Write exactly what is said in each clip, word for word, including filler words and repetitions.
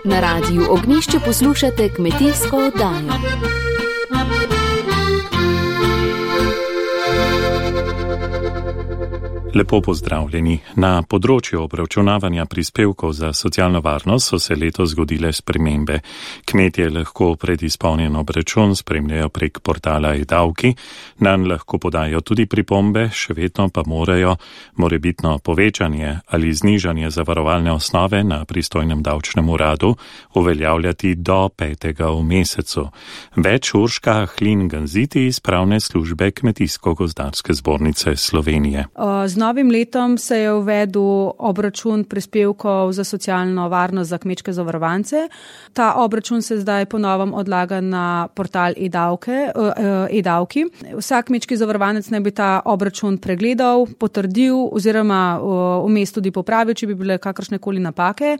Na Radiu Ognjišče poslušate kmetijsko oddajo. Lepo pozdravljeni. Na področju obračunavanja prispevkov za socialno varnost so se letos zgodile spremembe. Kmetje lahko predizpolnjen obračun spremljajo prek portala e-davki, nanj lahko podajo tudi pripombe, še vedno pa morajo morebitno povečanje ali znižanje zavarovalne osnove na pristojnem davčnem uradu uveljavljati do petega v mesecu. Več Urška Ahlin-Ganziti iz pravne službe Kmetijsko-gozdarske zbornice Slovenije. Z novim letom se je uvedel obračun prispevkov za socialno varnost za kmečke zavarovance. Ta obračun se zdaj po novem odlaga na portal e-davke, e-davki. Vsak kmečki zavarovanec naj bi ta obračun pregledal, potrdil oziroma vmes tudi popravil, če bi bile kakršnekoli napake.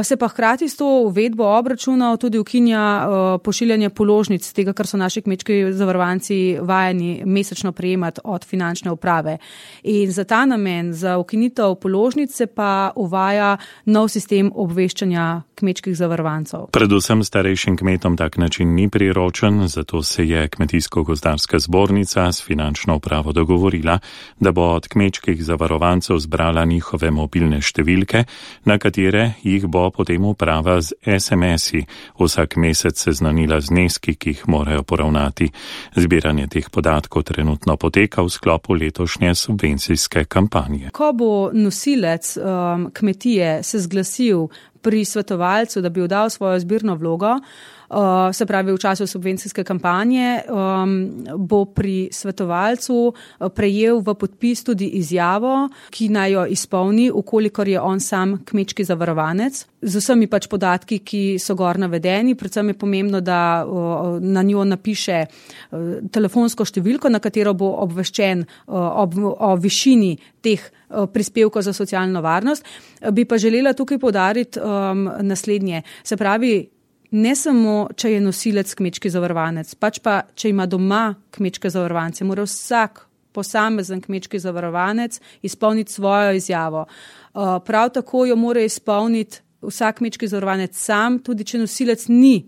Se pa hkrati s to uvedbo obračunov tudi ukinja pošiljanje položnic tega, kar so naši kmečki zavarovanci vajeni mesečno prejemati od finančne uprave. In za ta namen, za ukinitev položnice pa uvaja nov sistem obveščanja kmečkih zavarovancev. Predvsem starejšim kmetom tak način ni priročen, zato se je Kmetijsko-gozdarska zbornica s finančno upravo dogovorila, da bo od kmečkih zavarovancev zbrala njihove mobilne številke, na katere jih bo potem uprava z es em esi vsak mesec seznanila zneski, ki jih morajo poravnati. Zbiranje teh podatkov trenutno poteka v sklopu letošnje subvencijske kampanje. Ko bo nosilec um, kmetije se zglasil pri svetovalcu, da bi oddal svojo zbirno vlogo, uh, se pravi v času subvencijske kampanje, um, bo pri svetovalcu prejel v podpis tudi izjavo, ki naj jo izpolni, ukolikor je on sam kmečki zavarovanec, z vsemi pač podatki, ki so gor navedeni. Predvsem je pomembno, da uh, na njo napiše uh, telefonsko številko, na katero bo obveščen uh, ob, o višini teh prispevkov za socialno varnost. Bi pa želela tukaj poudariti um, naslednje. Se pravi, ne samo, če je nosilec kmečki zavarovanec, pač pa, če ima doma kmečke zavarovance, mora vsak posamezen kmečki zavarovanec izpolniti svojo izjavo. Uh, prav tako jo mora izpolniti vsak kmečki zavarovanec sam, tudi če nosilec ni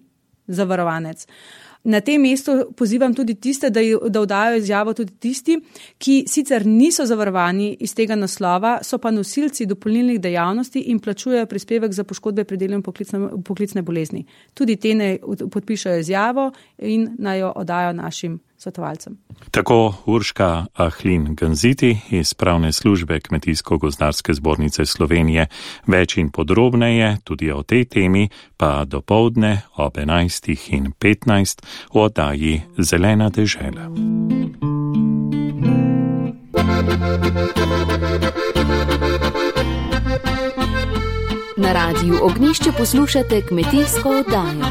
zavarovanec. Na tem mestu pozivam tudi tiste, da, da vdajo izjavo tudi tisti, ki sicer niso zavarovani iz tega naslova, so pa nosilci dopolnilnih dejavnosti in plačujejo prispevek za poškodbe pri delu in poklicne, poklicne bolezni. Tudi te ne podpišajo izjavo in naj jo oddajo našim svetovalcem. Tako Urška Ahlin-Ganziti iz pravne službe Kmetijsko-gozdarske zbornice Slovenije. Več in podrobneje tudi o tej temi pa dopoldne ob enajstih in petnajst v oddaji Zelena dežela. Na Radiu Ognjišče poslušate kmetijsko oddajo.